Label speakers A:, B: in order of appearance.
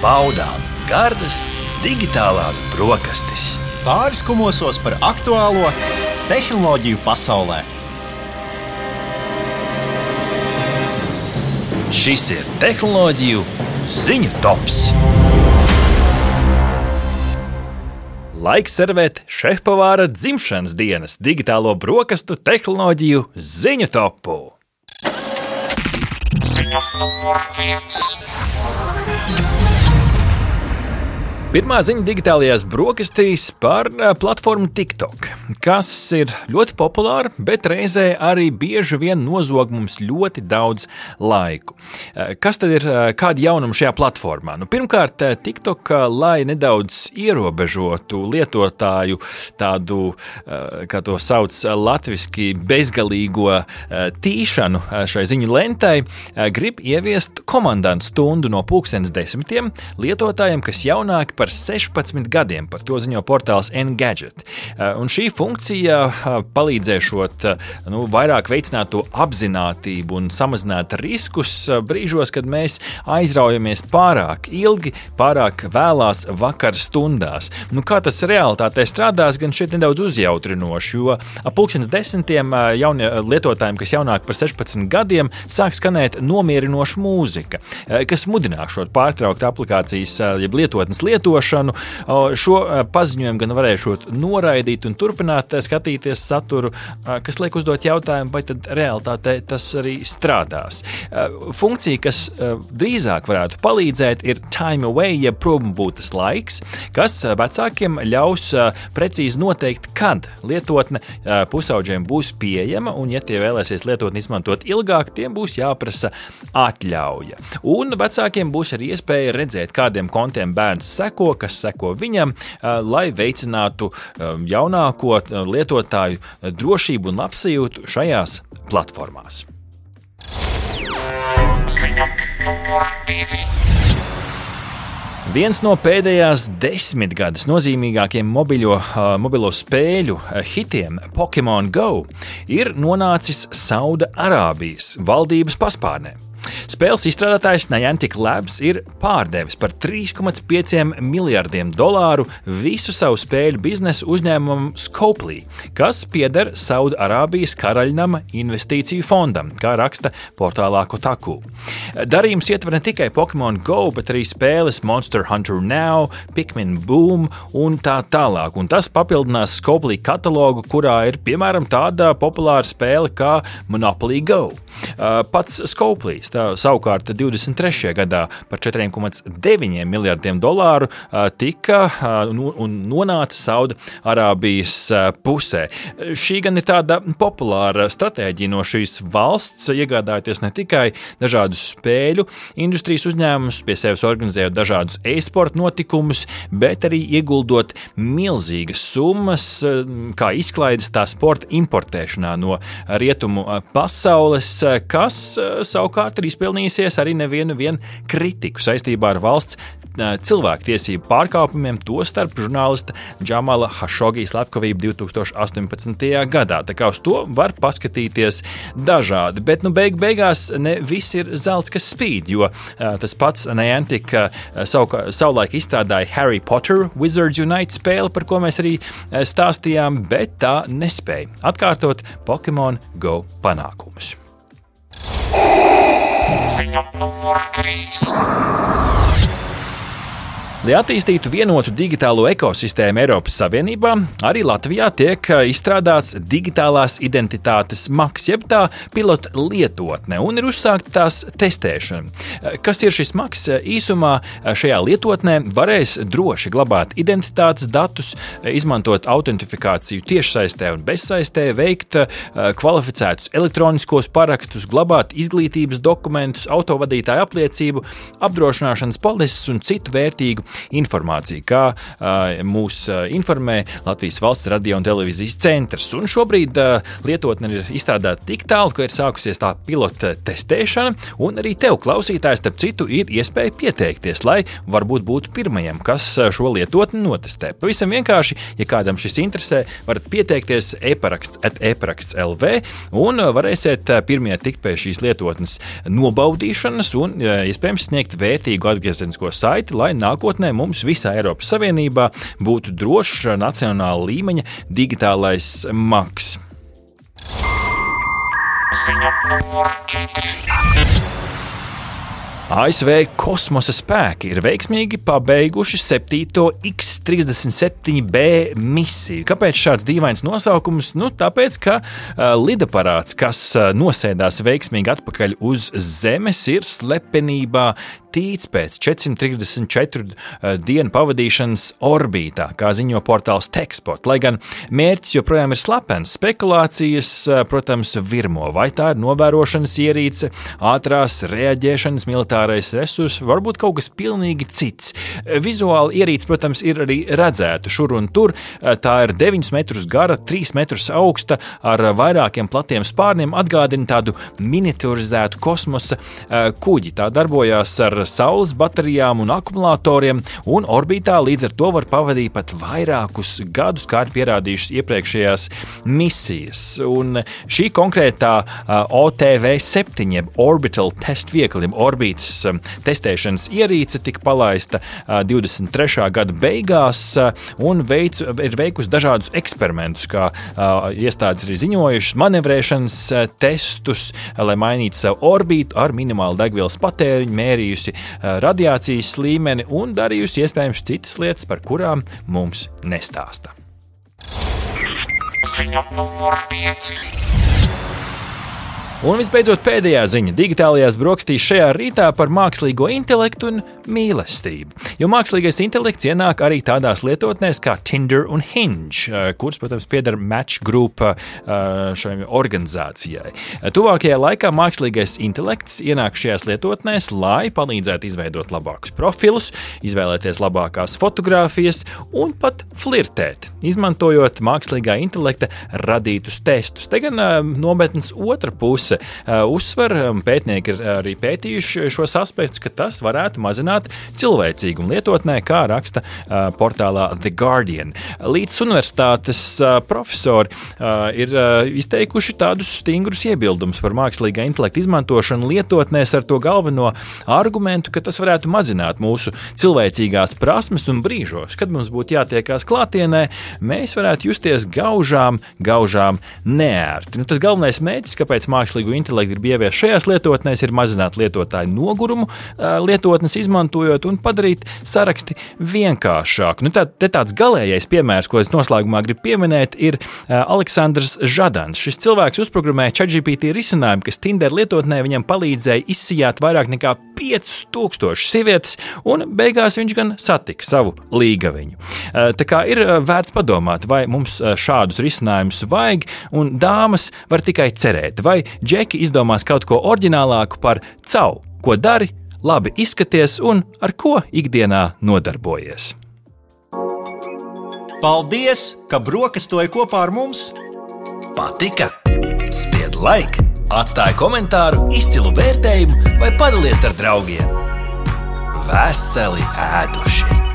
A: baudām gardas digitālās brokastis.
B: Pāriskumosos par aktuālo tehnoloģiju pasaulē.
A: Šis ir tehnoloģiju ziņu tops. Laiks servēt šefpavāra dzimšanas dienas digitālo brokastu tehnoloģiju ziņu topu. Ziņa numur 1. Pirmā ziņa digitālajās brokastīs par platformu TikTok, kas ir ļoti populāra, bet reizē arī bieži vien nozog mums ļoti daudz laiku. Kas tad ir kādi jaunumi šajā platformā? Pirmkārt, TikTok, lai nedaudz ierobežotu lietotāju tādu, kā to sauc latviski, bezgalīgo tīšanu šai ziņu lentai, grib ieviest komandantu stundu no 10:00 lietotājiem, kas jaunāki par 16 gadiem, par to ziņo portāls Engadget. Un šī funkcija palīdzēšot vairāk veicināt to apzinātību un samazināt riskus brīžos, kad mēs aizraujamies pārāk ilgi, pārāk vēlās vakar stundās. Kā tas realitātē strādās, gan šeit nedaudz uzjautrinoši, jo ap 10:00 jaunie lietotājiem, kas jaunāk par 16 gadiem, sāk skanēt nomierinoša mūzika, kas mudinās šo pārtraukt aplikācijas, jeb lietotnes lietošanu. Šo paziņojumu gan varēšot noraidīt un turpināt skatīties saturu, kas liek uzdot jautājumu, vai tad realitātē tas arī strādās. Funkcija, kas drīzāk varētu palīdzēt, ir time away, jeb prombūtas laiks, kas vecākiem ļaus precīzi noteikt, kad lietotne pusauģiem būs pieejama, un ja tie vēlēsies lietotni izmantot ilgāk, tiem būs jāprasa atļauja. Un vecākiem būs arī iespēja redzēt, kādiem kontiem bērns seko, kas seko viņam, lai veicinātu jaunāko lietotāju drošību un labsajūtu šajās platformās. Ziņa numur 2. Viens no pēdējās 10 gadus nozīmīgākiem mobilo spēļu hitiem, Pokemon Go, ir nonācis Sauda Arābijas valdības paspārnē. Spēles izstrādātājs Niantic Labs ir pārdevis par $3,5 miljardiem visu savu spēļu biznesu uzņēmumam Scopely, kas pieder Sauda Arābijas karaļnama investīciju fondam, kā raksta portālā Kotaku. Darījums ietver ne tikai Pokemon Go, bet arī spēles Monster Hunter Now, Pikmin Boom un tā tālāk. Un tas papildinās Scopely katalogu, kurā ir piemēram tāda populāra spēle kā Monopoly Go. Pats Scopely savukārt 23. gadā par $4,9 miljardiem tika un nonāca Sauda Arābijas pusē. Šī gan ir tāda populāra stratēģija no šīs valsts, iegādājoties ne tikai dažādus spēļu industrijas uzņēmumus, pie sevis organizējot dažādus e-sporta notikumus, bet arī ieguldot milzīgas summas, kā izklaides tā sporta importēšanā no rietumu pasaules, kas savukārt ir izpelnījusies arī nevienu kritiku saistībā ar valsts cilvēktiesību pārkāpumiem, tostarp žurnālista Džamala Hašogī slepkavību 2018. gadā. Tā kā uz to var paskatīties dažādi, bet beigās ne viss ir zelts, kas spīd, jo tas pats Niantic savulaik izstrādāja Harry Potter Wizards Unite spēli, par ko mēs arī stāstījām, bet tā nespēja atkārtot Pokemon Go panākumus. Ziņa numur 3. Lai attīstītu vienotu digitālo ekosistēmu Eiropas Savienībā, arī Latvijā tiek izstrādāts digitālās identitātes maks, jeb tā pilota lietotne, un ir uzsākta tās testēšana. Kas ir šis maks? Īsumā šajā lietotnē varēs droši glabāt identitātes datus, izmantot autentifikāciju tiešsaistē un bezsaistē, veikt kvalificētus elektroniskos parakstus, glabāt izglītības dokumentus, autovadītāju apliecību, apdrošināšanas polises un citu vērtīgu informāciju, kā mūs informē Latvijas Valsts radio un televīzijas centrs. Un šobrīd lietotne ir izstrādāta tik tālu, ka ir sākusies tā pilota testēšana, un arī tev, klausītājs, starp citu, ir iespēja pieteikties, lai varbūt būtu pirmajam, kas šo lietotni notestē. Pavisam vienkārši, ja kādam šis interesē, varat pieteikties e-paraksts.lv un varēsiet pirmie tikt pie šīs lietotnes nobaudīšanas un iespējams sniegt vērtīgu atgriezenisko saiti, lai nākotnē mums visā Eiropas Savienībā būtu drošs nacionāla līmeņa digitālais maks. ASV kosmosa spēki ir veiksmīgi pabeiguši 7. X-37B misiju. Kāpēc šāds dīvains nosaukums? Tāpēc, ka lidaparāts, kas nosēdās veiksmīgi atpakaļ uz Zemes, ir slepenībā tīts pēc 434 dienu pavadīšanas orbītā, kā ziņo portāls Techspot. Lai gan mērķis joprojām ir slepens, spekulācijas, protams, virmo. Vai tā ir novērošanas ierīce, ātrās reaģēšanas militārais resurs, varbūt kaut kas pilnīgi cits. Vizuāli ierīce, protams, ir arī redzēta šur un tur. Tā ir 9 metrus gara, 3 metrus augsta, ar vairākiem platiem spārniem, atgādina tādu miniaturizētu kosmosa kuģi. Tā darbojās ar saules baterijām un akumulatoriem, un orbītā līdz ar to var pavadīt pat vairākus gadus, kā ir pierādījušas iepriekšējās misijas. Un šī konkrētā OTV-7, jeb Orbital Test Vehicle, orbītas testēšanas ierīce tika palaista 23. gada beigās un ir veikusi dažādus eksperimentus, kā iestādes ir ziņojušas, manevrēšanas testus, lai mainītu savu orbītu ar minimālu degvielas patēriņu, mērījusi radiācijas līmeni un darījusi iespējams citas lietas, par kurām mums nestāsta. Ziņa numur 5. Un visbeidzot pēdējā ziņa digitālajās brokastīs šajā rītā par mākslīgo intelektu un mīlestību. Jo mākslīgais intelekts ienāk arī tādās lietotnēs kā Tinder un Hinge, kuras, protams, pieder Match Group šai organizācijai. Tuvākajā laikā mākslīgais intelekts ienāk šajās lietotnēs, lai palīdzētu izveidot labākus profilus, izvēlēties labākās fotogrāfijas un pat flirtēt, izmantojot mākslīgā intelekta radītus testus. Te gan nometnes otra puse uzsver, pētnieki ir arī pētījuši šos aspektus, ka tas varētu mazināt cilvēcīgumu lietotnē, kā raksta portālā The Guardian. Līdz universitātes profesori ir izteikuši tādus stingrus iebildumus par mākslīgā intelekta izmantošanu lietotnēs ar to galveno argumentu, ka tas varētu mazināt mūsu cilvēcīgās prasmes un brīžos, kad mums būtu jātiekās klātienē, mēs varētu justies gaužām neērti. Tas galvenais mērķis, kāpēc mākslīgo intelektu ir ieviest šajās lietotnēs, ir mazināt lietotāju nogurumu lietotnes izmantojot un padarīt saraksti vienkāršāku. Te tāds galējais piemērs, ko es noslēgumā gribu pieminēt, ir Aleksandrs Žadans. Šis cilvēks uzprogrammēja ChatGPT risinājumu, kas Tinder lietotnē viņam palīdzēja izsijāt vairāk nekā 5000 sievietes, un beigās viņš gan satika savu līgaviņu. Tā kā ir vērts padomāt, vai mums šādus risinājumus vajag, un dāmas var tikai cerēt, vai džeki izdomās kaut ko oriģinālāku par cau, ko dari, labi izskaties un ar ko ikdienā nodarbojies.
B: Paldies, ka brokastoji kopā ar mums!
C: Patika? Spied like, atstāj komentāru, izcilu vērtējumu vai padalies ar draugiem. Veseli ēduši!